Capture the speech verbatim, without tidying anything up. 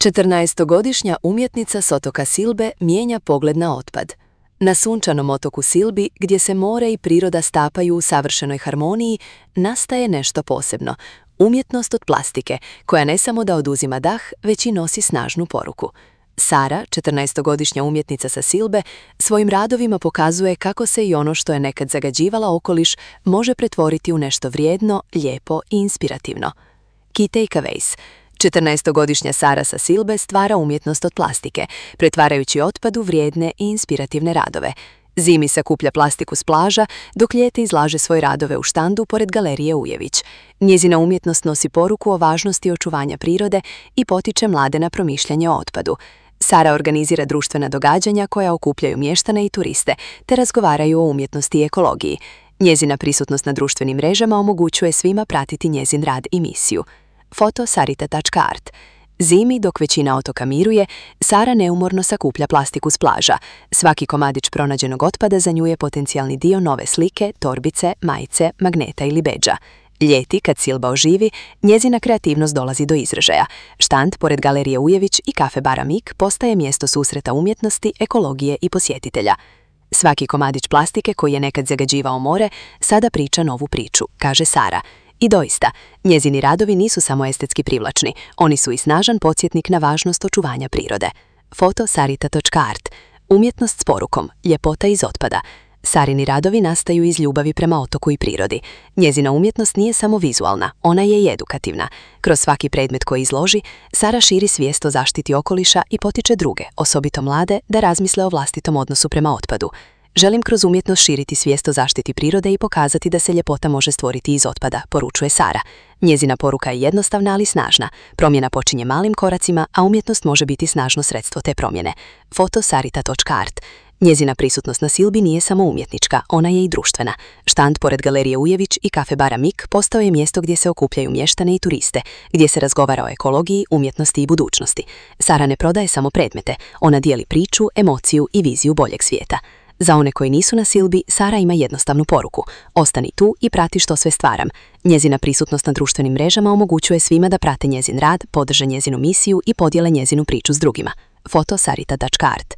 četrnaestogodišnja umjetnica s otoka Silbe mijenja pogled na otpad. Na sunčanom otoku Silbi, gdje se more i priroda stapaju u savršenoj harmoniji, nastaje nešto posebno. Umjetnost od plastike, koja ne samo da oduzima dah, već i nosi snažnu poruku. Sara, četrnaestogodišnja umjetnica sa Silbe, svojim radovima pokazuje kako se i ono što je nekad zagađivala okoliš može pretvoriti u nešto vrijedno, lijepo i inspirativno. Key takeaways. četrnaestogodišnja Sara sa Silbe stvara umjetnost od plastike, pretvarajući otpad u vrijedne i inspirativne radove. Zimi sakuplja plastiku s plaža, dok ljeti izlaže svoje radove u štandu pored galerije Ujević. Njezina umjetnost nosi poruku o važnosti očuvanja prirode i potiče mlade na promišljanje o otpadu. Sara organizira društvena događanja koja okupljaju mještane i turiste, te razgovaraju o umjetnosti i ekologiji. Njezina prisutnost na društvenim mrežama omogućuje svima pratiti njezin rad i misiju. Foto sarita tačka art. Zimi, dok većina otoka miruje, Sara neumorno sakuplja plastiku s plaža. Svaki komadić pronađenog otpada za nju je potencijalni dio nove slike, torbice, majice, magneta ili bedža. Ljeti, kad Silba oživi, njezina kreativnost dolazi do izražaja. Štand pored galerije Ujević i kafe bara Mik postaje mjesto susreta umjetnosti, ekologije i posjetitelja. Svaki komadić plastike koji je nekad zagađivao more, sada priča novu priču, kaže Sara. I doista, njezini radovi nisu samo estetski privlačni, oni su i snažan podsjetnik na važnost očuvanja prirode. Foto sarita tačka art. Umjetnost s porukom, ljepota iz otpada. Sarini radovi nastaju iz ljubavi prema otoku i prirodi. Njezina umjetnost nije samo vizualna, ona je i edukativna. Kroz svaki predmet koji izloži, Sara širi svijest o zaštiti okoliša i potiče druge, osobito mlade, da razmisle o vlastitom odnosu prema otpadu. Želim kroz umjetnost širiti svijest o zaštiti prirode i pokazati da se ljepota može stvoriti iz otpada, poručuje Sara. Njezina poruka je jednostavna, ali snažna. Promjena počinje malim koracima, a umjetnost može biti snažno sredstvo te promjene. Foto sarita tačka art. Njezina prisutnost na Silbi nije samo umjetnička, ona je i društvena. Štand pored galerije Ujević i kafe bara Mik postao je mjesto gdje se okupljaju mještane i turiste, gdje se razgovara o ekologiji, umjetnosti i budućnosti. Sara ne prodaje samo predmete, ona dijeli priču, emociju i viziju boljeg svijeta. Za one koji nisu na Silbi, Sara ima jednostavnu poruku. Ostani tu i prati što sve stvaram. Njezina prisutnost na društvenim mrežama omogućuje svima da prate njezin rad, podrže njezinu misiju i podijele njezinu priču s drugima. Foto sarita tačka art.